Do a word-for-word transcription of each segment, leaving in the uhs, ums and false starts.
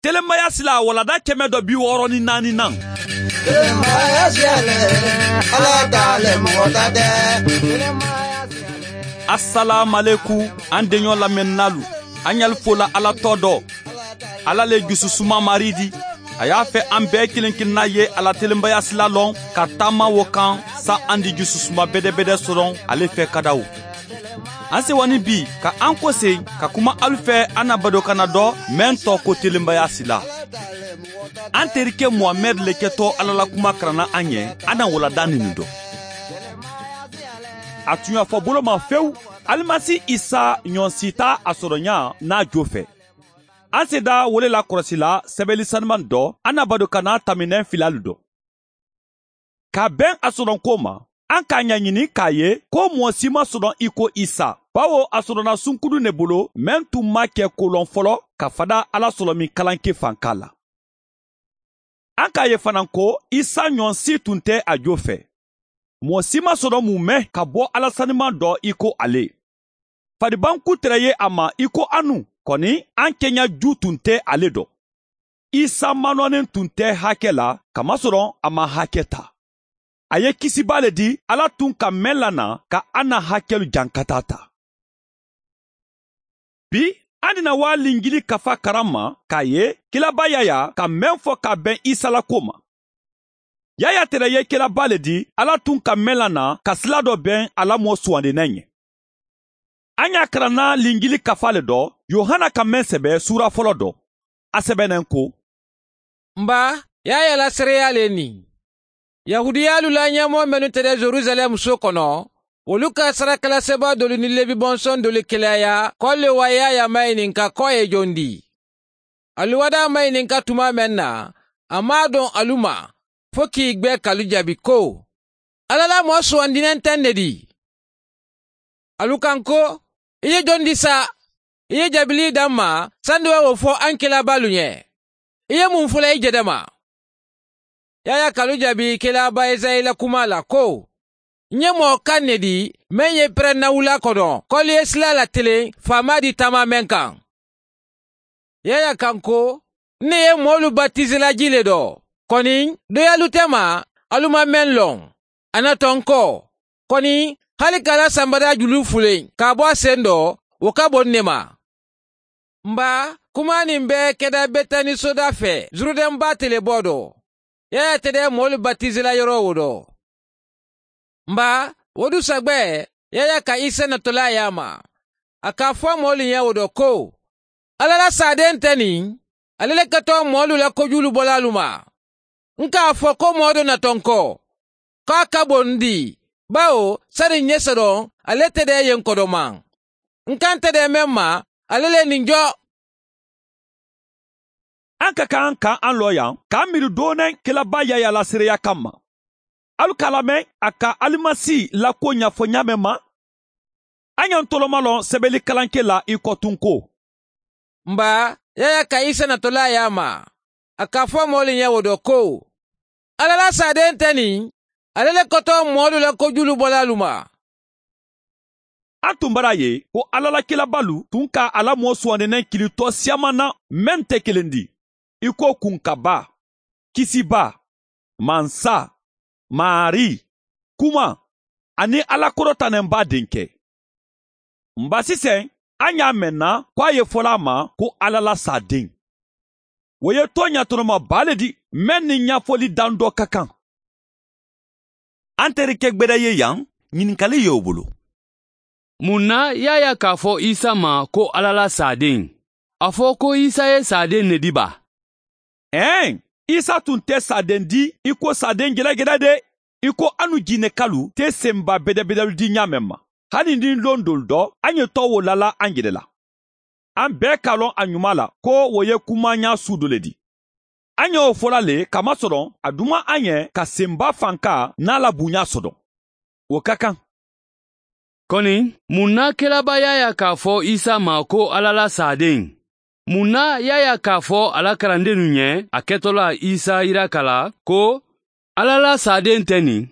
Telemaya sila walada kɛmɛ dɔ bi wɔɔrɔ ni naani nan. Telemaya sila lɛ, ala ta lɛ mɔgɔ ta tɛ. Asalaamualekum, an denyɔ lamɛnninaalu, an yali fola ala tɔ dɔ. Ala le jususuma maridi. A y'a fɛ an bɛɛ kelen kelenna ye a la telenbaya sila lɔn ka taama wo kan, sa an di jususuma bɛdɛbɛdɛ sɔrɔ ale fɛ kadaw. An sewani bi ka an kose ka kuma alu fɛ an na badokanna dɔ mɛn tɔ ko telenbaya sila. An terike muhamɛd le kɛtɔ ala la kuma karanna an ye, an na walada nini dɔ. A tun y'a fɔ bolo ma fewu, alimasi isa ɲɔnsita a sɔrɔɲa n'a jo fɛ. An seda wele la kɔlɔsila sɛbɛli sanimani dɔ, an na badokanna taminɛ filalu dɔ. Ka bɛn a sɔrɔnko ma, an k'a ɲaɲini k'a ye ko mɔgɔ si ma sɔrɔ i ko isa, bawo a sɔrɔna sunkudu ne bolo mɛn tun ma kɛ kolɔn fɔlɔ ka fada ala sɔrɔ min kalanke fanka la. An k'a ye fana ko isa ɲɔgɔn si tun tɛ a jo fɛ. Mɔgɔ si ma sɔrɔ mun mɛn ka bɔ ala saniman dɔ i ko ale. Faribanku tɛrɛ ye a ma i ko anu, kɔni an kɛɲɛ ju tun tɛ ale dɔn. Isa manɔnen tun tɛ hakɛ la, kamasɔrɔ a ma hakɛ ta. A ye kisiba le di ala tun ka mɛn la na ka an na hakɛlu jankata ta. Bi, an dina waa linjili kafa karan ma k'a ye kilaba yaya ka mɛn fɔ ka bɛn isa la ko ma. Yaya tɛrɛ ye kilaba le di ala tun ka mɛn la na ka sila dɔ bɛn a la mɔɔ suwandinan ye. An y'a karanna linjili kafa le dɔ, yohana ka mɛn sɛbɛ suura fɔlɔ dɔ. A sɛbɛnnen ko, n ba, yaya la seereya le nin. Yahudiyaalu la ɲɛmɔgɔ mennu tɛ dɛ jerusalɛm so kɔnɔ, wolu ka sarakaraseba dolu ni lebi bɔnsɔn dolu keleyaya k'olu le wa yaya mayininka ko a ye jon di. Alu wada mayininka tuma meŋ na, a maŋ a doŋ alu ma fo k'i gbe k'alu jaabi ko, ala la moo suwandinen teŋ ne di? Alu kaŋ ko, i ye jon di sa? I ye jabilii daŋ ma sandi wo wo fo aŋ kelabaalu ɲe. I ye muŋ fola i jedema? Yaya ka alu jaabi kelaba esayi la kumaa la ko, ǹ ye moo kaŋ ne di meŋ ye perennawula kono kolu ye sila la teleŋ faamaa di taamaa meŋ kaŋ. Yaya kaŋ ko, n ne ye moolu batisi la jii le do, koni doyaalu te ma alu maŋ meŋ loŋ. A na toŋ ko, koni hali ka a la sanbadaa juluu fuleŋ ka a bo a sendo, wo ka bo n ne ma. N baa, kumaa niŋ be keda betani soda fee juruden baa teleboo do. Yaya te de moolu batisi la yoroo wo do. N baa, wo du sagbee yaya ka isa natolaa yaama. A ka a fo moolu ɲee wo do ko, alla la saadeŋ te niŋ, ale le ka too moolu la kojuulu bolaalu ma. N ka a fo ko moo do na tonko, ko a ka bo n di, bawo sani n ye sodoŋ ale te de ye n kodomaŋ. N ka n te de meŋ ma, ale le niŋ jo. An ka kaŋ ka an loo yaŋ ka an miiri dooneŋ kelabaa yaya la seereya kamma. Alu ka a lameŋ a ka alimasi la kuwo ɲafo ɲaameŋ ma. An ye n toloma loŋ sebeli kalanke la i ko tun ko, n baa, yaya ka isa natolaa ye a ma. A ka a fo moolu ɲee wo do ko, alla la saadeŋ te niŋ, ale le koto moolu la kojuulu bolaalu ma. A tun bara a ye ko alla la kilabaalu tun ka a la moo suwandinaŋ kili too siyaamanna meŋ te keleŋ di, i ko kunkabaa, kisibaa, mansa, maarii, kuma, aniŋ alla korotanenbaa denkɛ. N ba siseŋ, a ɲaa meŋ na ko a ye fola a ma ko alla la saadeŋ. Wo ye tooɲa tonoma baa le di meŋ niŋ ɲafoli daŋ doo ka kaŋ. An terike gbeda ye yaŋ, ɲininkali ye wo bulu. Muŋ na yaya ka a fo isa ma ko alla la saadeŋ? A fo ko isa ye saadeŋ ne di ba? Ɛɛn, isa tun te saadeŋ di i ko saadeŋ gedageda de, i ko anu jiinekalu te senba bedebedalu di ɲaameŋ ma. Hani niŋ loŋ doolu do a ɲe too wo lala a jele la. An bee ka a loŋ a ɲumaa la ko wo ye kumaaɲaa suu do le di. A ɲa wo fo la le kamasɔrɔ a duma a ɲe ka senba fanka niŋ a la buɲaa soto. Wo ka kaŋ. Koni, muŋ na kelaba yaya ka a fo isa ma ko alla la saadeŋ? Muŋ na yaya ka a fo a la karandennu ɲe a ketola isa yiraka la ko, alla la saadeŋ te niŋ,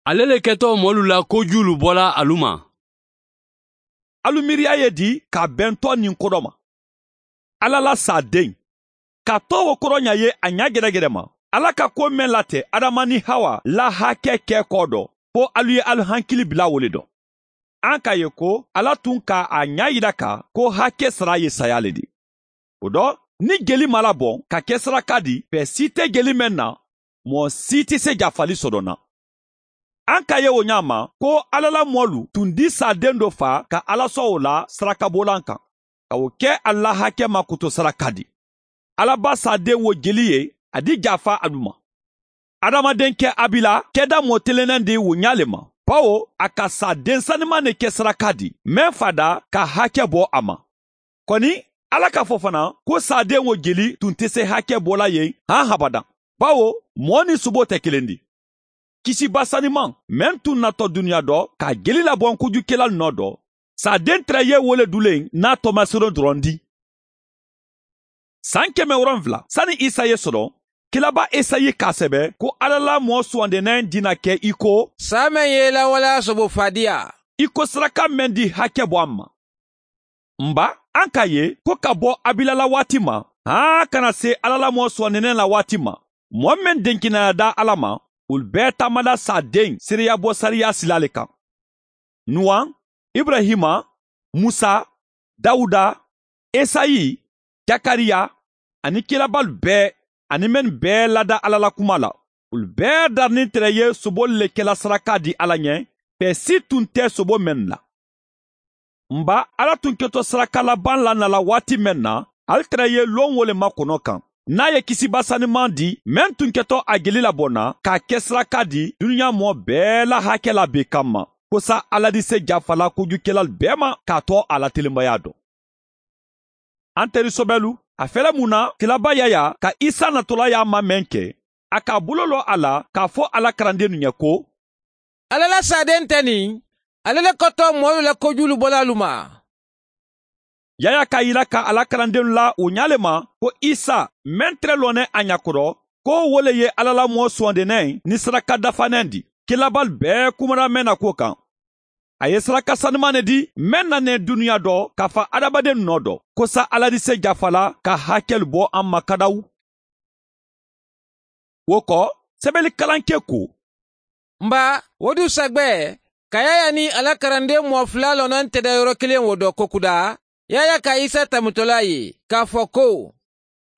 ale le keto moolu la kojuulu bola alu ma? Alu miiriya ye di ka a bentoo niŋ kodo ma. Alla la saadeŋ, ka too wo korooɲa ye a ɲaa geregere ma, ala ka ko meŋ late adama niŋ hawa la hake kee koo do, fo alu ye alu hankili bila wo le do. Aŋ ka ye ko ala tun ka a ɲaa yira ka ko hake sara ye sayaa le di. Wo do, niŋ jeli ma laboŋ ka ke saraka di fee sii te jeli meŋ na, moo sii ti se jafali soto naŋ. Aŋ ka ye wo ɲaa ma ko ala la moolu tun di saadeŋ do faa ka ala soowo la sarakaboolan kaŋ, ka wo ke ali la hake ma kuto saraka di. Ala ba saadeŋ wo jeli ye a di jaafa alu ma. Adamadenke abila keda moo telenandi wo ɲaa le ma, bawo a ka saadeŋ sanimaŋ ne ke saraka di meŋ fada ka hake bo a ma. Koni, ala ka fo fanaŋ ko saadeŋ wo jeli tun te se hake bola ye haŋ habadaŋ, bawo moo niŋ suboo te kelendi. Kisiba sanimaŋ meŋ tun nato duniya do ka jeli laboŋ kujukelalu noo do, saadeŋ tara ye wo le duleŋ naa tomasiro doroŋ di. San keme woronfula sani isa ye soro, kilaba esayi ka sebe ko ala la moo suwandineŋ dina ke i ko, saa meŋ ye i la waleya sobo faadiya, i ko saraka meŋ di hake bo a ma. Mba, aŋ ka ye ko ka bo abila la waati ma haa kana se ala la moo suwandineŋ la waati ma, moo meŋ denkinaya da ala ma, wolu bee taamada saadeŋ seereya bo sariya sila le kaŋ. Nuwaŋ, iburahima, musa, dawuda, esayi, jakariya, aniŋ kilabalu bee, aniŋ mennu bee lada ala la kuma la, wolu bee dariniŋ tere ye sobolu le kela saraka di ala ɲe, fee si tun te sobo mennu la. Mba, ala tun keto saraka labaŋ la nala waati meŋ na, ali tere ye loŋ wo le ma kono kaŋ, niŋ a ye kisiba sanimaŋ di meŋ tun keto a jeli laboŋ na k'a ke saraka di duniya moo bee la hake la bee kamma, kosa ala di se jafala kujukelalu bee ma k'a to a la telembayaa do. An teri sobelu, a fele mun na kilaba yaya ka isa natolaayaa ma meŋ ke, a ka a buloloo a la k'a fo a la karandennu ɲe ko, ala la saadeŋ te niŋ, ale le koto moolu la kojuulu bolaalu ma. Yaya ka yila ka a la karandennu la wo ɲaa le ma ko isa meŋ tere loneŋ a ɲa koto, ko wo le ye ala la moo suwandineŋ niŋ saraka dafaneŋ di, kilabalu bee kumara meŋ na kuwo kaŋ. A ye saraka sanimaŋ ne di meŋ na neŋ duniya do ka fa adamadennu noo do, kosa ala di se jafa la ka hakelu bo a ma kadawu. Wo ko, sebeli kalankee ko, mba, wo du sagbe, ka yaya niŋ a la karandeŋ moo fula lonaŋ teda yoro kiliŋ wo do kokuda, yaya ka isa tamutolaa ye, ka a fo ko,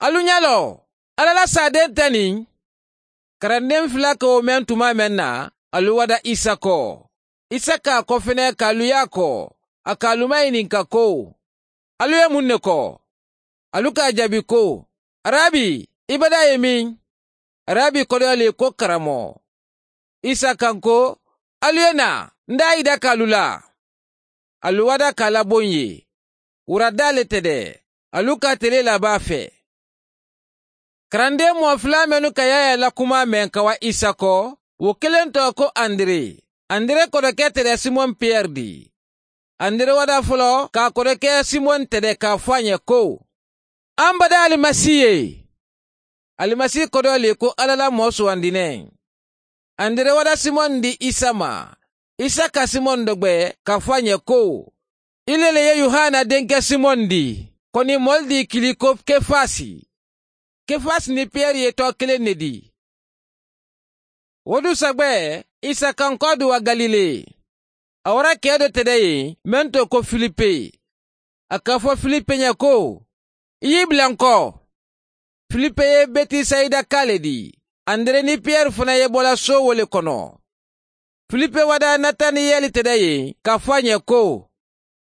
alu ɲa loo, ala la saadeŋ te niŋ. Karandeŋ fula ka wo meŋ tuma meŋ na, alu wada isa ko. Isa ka a kofene ka alu ye a ko, a ka alu mayininka ko, alu ye muŋ ne ko? Alu ka a jaabi ko, arabi, i badaa ye miŋ? Arabi kodoyali ye ko, karamoo. Isa kaŋ ko, alu ye naa, n daa yidaka alu la. Alu wada ka a laboŋ ye. Wura daa le tede, alu ka a tele la baa fee. Karandeŋ moo fula mennu ka yaya la kumaa meŋ ka wa isa ko, wo kiliŋ to ko andire. Andire kodoke tede simoŋ piyeri di. Andire wada foloo ka a kodoke simoŋ tede ka a fo a ɲe ko, an badaa alimasi ye. Alimasi kodoyali ye ko, ala la moo suwandineŋ. Andire wada simoŋ di isa ma. Isa ka simoŋ dogbe ka a fo a ɲe ko, i le le ye yohana denke simoŋ di. Koni moolu di kili ko kefasi. Kefasi niŋ piyeri ye too kiliŋ ne di. Wo du sagbe, isa kaŋ ko a duwa galile. A wara kee do tede ye meŋ to ko filipe. A ka a fo filipe ɲe ko, i ye i bula n ko. Filipe ye betisayida kaa le di. Andire niŋ piyeri fanaŋ ye bo la soo wo le kono. Filipe wada nataniyeli tede ye ka a fo a ɲe ko,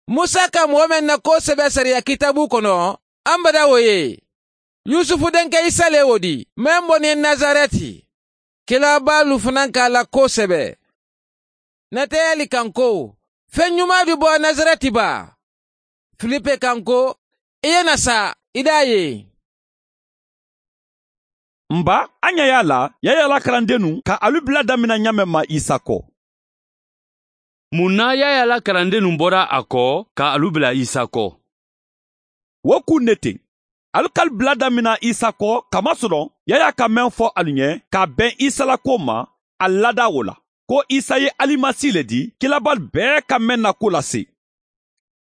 musa ka moo meŋ na koo sebe sariya kitaabu kono, an bada wo ye. Yusufu denke isa le wo di meŋ bo niŋ nasareti. Kila baalu fanaŋ ka a la koo sebe. Nateyeli kaŋ ko, feŋ ɲumaa du bo nasareti baa? Filipe kaŋ ko, i ye na sa, i daa ye. Mba, a ɲa ye a la yaya la karandennu ka alu bula damina ɲaameŋ ma isa ko? Mun na yaya la karandennu bora a ko ka alu bula isa ko? Wo kuŋ ne teŋ, alu ka alu bula damina isa ko kamasoroŋ yaya ka meŋ fo alu ɲe ka a beŋ isa la kuwo ma, alu lada wo la, ko isa ye alimasi le di kilabaalu bee ka meŋ na ko lase.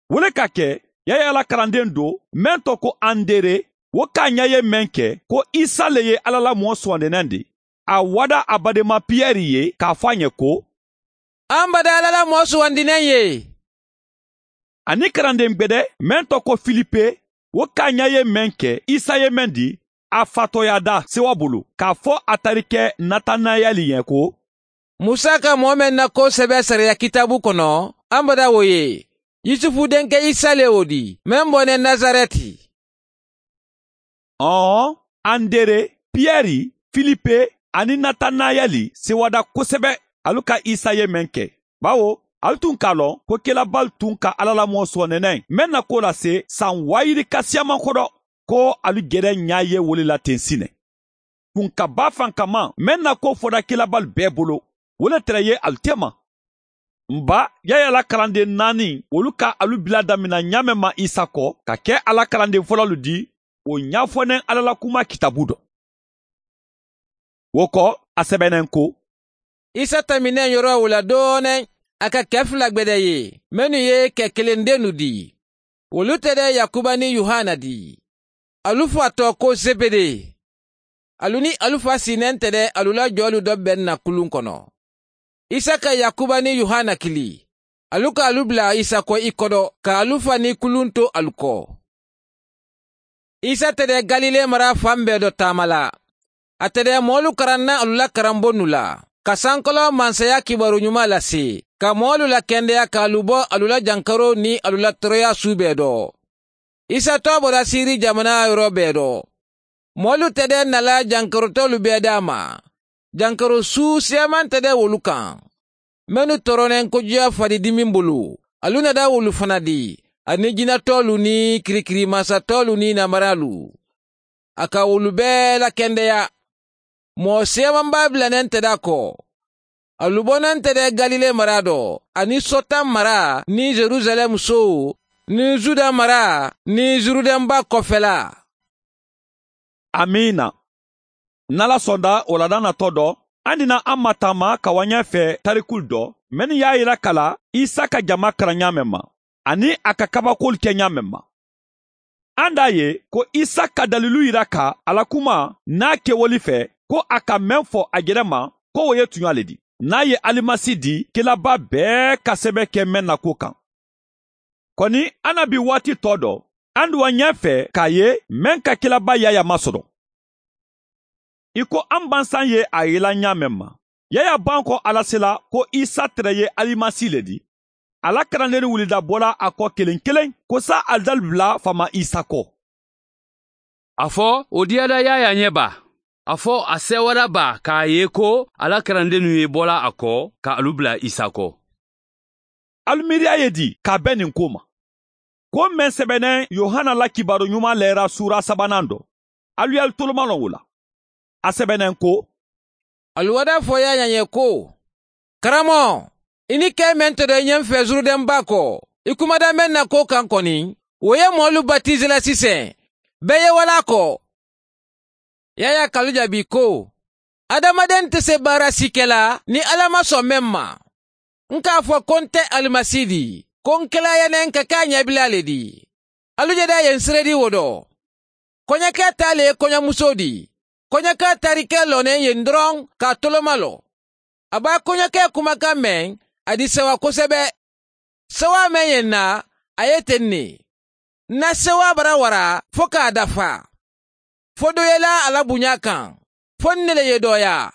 Wo le ka ke, yaya la karandeŋ do meŋ to ko andere, Wo ka a ñaaye meŋ ke ko isa le ye alla la moo suwandinaŋ di, a wada a badeema piyeri ye ka a fo a ñe ko, an bada alla la moo suwandinaŋ ye. A niŋ karandeŋ gbede meŋ to ko filipe, wo ka a ñaaye meŋ ke isa ye meŋ di, a faatooyaada sewa bulu ka a fo a tarike natanayeli ye ko, musa ka moo meŋ na koo sebe sariya kitaabu kono, an bada wo ye, yusufu denke isa le wo di meŋ bone nazareti. Ɔɔ, andere, piyeri, filipe, aniŋ natanayeli sewada kosebe alu ka isa ye meŋ ke, bawo alu tun ka a loŋ ko kelabaalu tun ka alla la moo sooneneŋ meŋ na ko lase saŋ waayiri kasiyamankodo, ko alu gere ñaaye wo le la teŋ sine. Kunkabaa fankamaŋ meŋ na ko foda kelabaalu bee bulu, wo le tere ye alu teema. M ba, yaya la kalandeŋ naani wolu ka alu bila damina ñaameŋ ma isa ko ka ke a la kalandeŋ fololu di, wo ñaafoneŋ alla la kumaa kitaabu do. Wo ko, a sebeneŋ ko, isa tamineŋ yoro wo la dooneŋ, a ka ke fula gbede ye mennu ye ke kelendennu di. Wolu te de yakuba niŋ yohana di. Alu fa to ko zebede. Alu niŋ alu fa siinente de alu la joolu do beŋ na kuluŋ kono. Isa ka yakuba niŋ yohana kili. Alu ka alu bula isa ko i kodo ka alu fa niŋ kuluŋ to alu ko. Isa te de galile mara faŋ bee do taama la. A te de moolu karanna alu la karambonnu la ka sankoloo mansaya kibaru ñuma lasi ka moolu la kendeya ka alu bo alu la jankaroo niŋ alu la toroyaa suu bee do. Isa toobo la siiri jamana yoro bee do. Moolu te de na la jankarotoolu bee daa ma. Jankaro suu seeman te de wolu kaŋ. Mennu toroneŋ kojuya fadi dimiŋ bulu, alu na daa wolu fana di, aniŋ jinatoolu niŋ kirikirimansatoolu niŋ namaraalu. A ka wolu bee la kendeya. Moo seeman baa bilaneŋ te daa ko, alu boneŋ te de galile mara do, aniŋ sotaŋ mara niŋ yeruzalemu sowo niŋ zuda mara niŋ zurudenba kofela. Amiina. N na la sonda wo la daŋ na to do, a dina a ma taama ka wañaa fee tarikulu do mennu ye a yila ka la isa ka jama karaŋ ñaameŋ ma, aniŋ a ka kabakuwolu ke ñaameŋ ma. A nda a ye ko isa ka dalilu yira ka a la kuma niŋ a kewolu fee ko a ka meŋ fo a jere ma, ko wo ye tuñaa le di niŋ a ye alimasi di kilabaa bee ka sebe ke meŋ na kuwo kaŋ. Koni annabi waati to do, a nduwa ñee fee ka a ye meŋ ka kilabaa yaya masodoŋ. I ko a mbansaŋ ye a yila ñaameŋ ma, yaya banko alasila ko isa tere ye alimasi le di. A la karandennu wulida bola a ko keleŋ keleŋ ko saa ali dalu bula faama isa ko. A fo wo diyada yaya ñe baa. A fo a sewada baa ka a ye ko a la karandennu ye bola a ko ka alu bula isa ko. Alu miiriya ye di ka a be nin ko ma. Ko meŋ sebeneŋ yohana la kibaaru ñuma leera suura sabanaŋ do, alu ye alu tolomaloŋ wo la. A sebeneŋ ko, alu wada fo yaya ñe ko, karamo, i ni ke meŋ to do i ñeŋ fee zurudenba ko, i kumada meŋ na ko kaŋ koni, wo ye moolu batisi la siseŋ. Bee ye wala ko. Yaya ka alu jaabi ko, adamadennu te se baara si ke la niŋ alla maŋ soŋ meŋ ma. N ka a fo ko n te alimasi di, ko n kela ye neŋ ka ke a ñaabilaa le di. Alu je de a ye n seredi wo do. Koñakee taa le ye koñamusoo di. Koñakee taari ke looneŋ ye n doroŋ ka a tolomaloo. A be a koñakee kumakaŋ meŋ, a di sewa kosebe. Sewaa meŋ ye n na, a ye teŋ ne. N na sewaa bara wara fo ka a dafa. Fo doo ye laa a la buñaa kaŋ, fo n ne le ye dooyaa.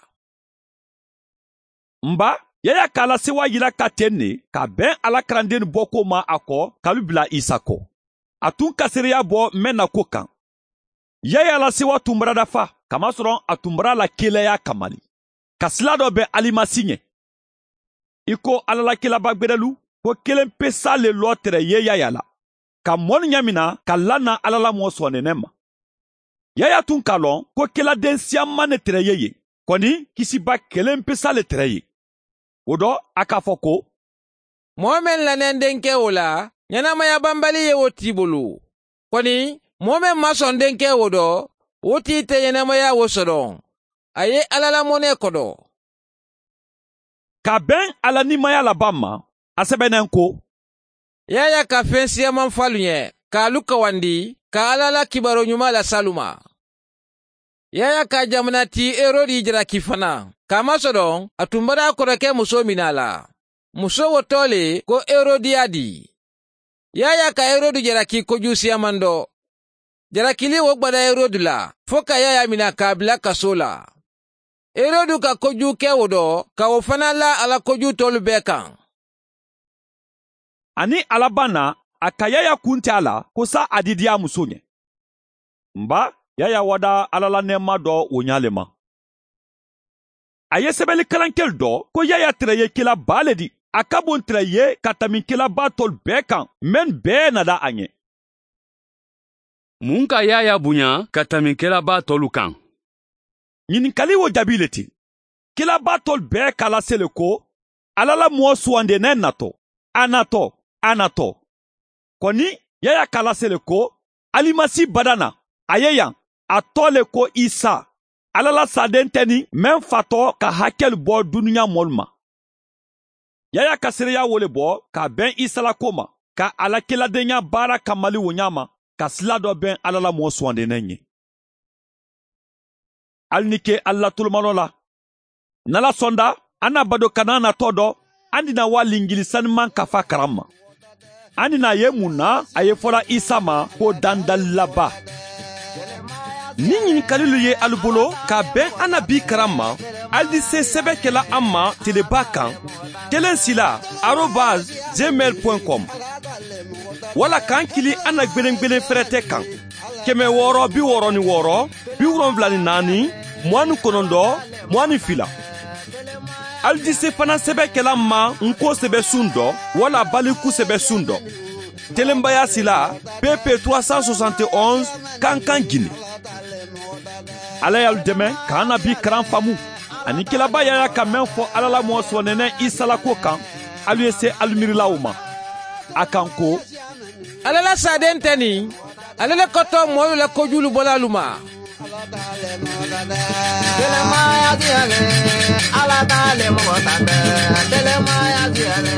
M ba, yaya ka a la sewaa yila ka teŋ ne ka a beŋ a la karandennu bookuwo ma a ko ka alu bila isa ko. A tun ka seereya bo meŋ na kuwo kaŋ. Yaya la sewa tun bara dafa, kamasoroŋ a tun bara la kiilayaa kamali ka silaa doo be alimasi ñe. I ko alla la kiilabaa gberelu, ko keleŋ pesaa le loo tere ye yaya la, ka moolu ñamina ka lana alla la moo sooneneŋ ma. Yaya tun ka a loŋ ko keladeŋ siyaŋ maŋ ne tere ye ye, koni kisiba keleŋ pesaa le tere ye. Wo do a ka a fo ko, moo meŋ lanendeŋ ke wo la, ñanamaya banbali ye wo tii bulu. Koni moo meŋ maŋ soŋ deŋ ke wo do, wo tii te ñanamaya wo sodoŋ. A ye alla la monee kodo. Ka a beŋ a la niimaya la baŋ ma, a sebeneŋ ko, yaya ka feŋ siyamaŋ fo alu ñe, ka alu kawandi, ka alla la kibaaroo ñumaa lasi alu ma. Yaayaa ka a jamana tii herodi jalaki fanaa, kaamasoloŋ a tumbata a koreke musoo minaa la. Musoo wo too le ko herodiyadi. Yaayaa ka herodi jalaki kojuu siyamando. Jalakiliŋ wo gbada herodi la fo ka yaayaa minaa ka a bila kasoo la. Herodi ka kojuu ke wo do ka wo fanaa laa a la kojuu toolu bee kaŋ. A niŋ a la baa naa a ka yaayaa kunti a la ko saayiŋ a didiyaa musoo ñe. Mba, yaayaa wadaa alla la neema do wo ñaa le ma. A ye sebelikalankelu do ko yaayaa tera ye kila baa le di. A ka boŋ tera ye ka tambi kila baa toolu bee kaŋ mennu bee na daa a ñe. Muŋ ka yaayaa buñaa ka tambi kila baa toolu kaŋ? Ñininkali wo jaabii le ti. Kila baa toolu bee ka a lasele ko alla la moo suwandineŋ nato. A nato. A nato. Koni yaayaa ka a lasele ko alimasi badana a ye yaŋ. A too le ko isa, alla la saadeŋ teniŋ meŋ fatoo ka hakelu bo duniyaa moolu ma. Yaayaa ka seedeyaa wo le bo ka a beŋ isa la kuwo ma, ka a la kiladeeyaa baara kammali wo ñaama ka silaa doo beŋ alla la moo suwandineŋ ñe. Ali ni ke alla la tulumaloo la. Nala sonda a na bado kana na too do. Andi na waa linjili sanimaŋ kafa karamma. Andi na ye muŋ na a ye fola isa ma ko dandalilaba. Niŋ ñininkalilu ye alu bolo ka beŋ a na bii karamma, ali di se sebe kela a ma telebaa kaŋ. Teleŋ sila arobas gmail point com. Walla kaŋ kiliŋ a na gbelengbelen ferete kaŋ. Keme wooro bi wooro ni wooro, bi wolonwula ni naani, muwaŋ ni kononto, muwaŋ ni fila. Ali di se fanaŋ sebe kela ma n ko sebe suŋ do walla baliku sebe suŋ do. Telenbaya sila, pp trois cent soixante et onze, kankan gine. Alla ye alu deme ka a na bii karaŋ faamu. Aniŋ kilaba yaayaa ka meŋ fo alla la moo soonene isa la kuwo kaŋ, alu ye se alu miirila wo ma. A kaŋ ko, alla la saadeŋ te niŋ, alla le koto moolu la kojuulu bolaalu ma. Telemaya diya le, alla ta le moxo ta bee. Telemaya diya le.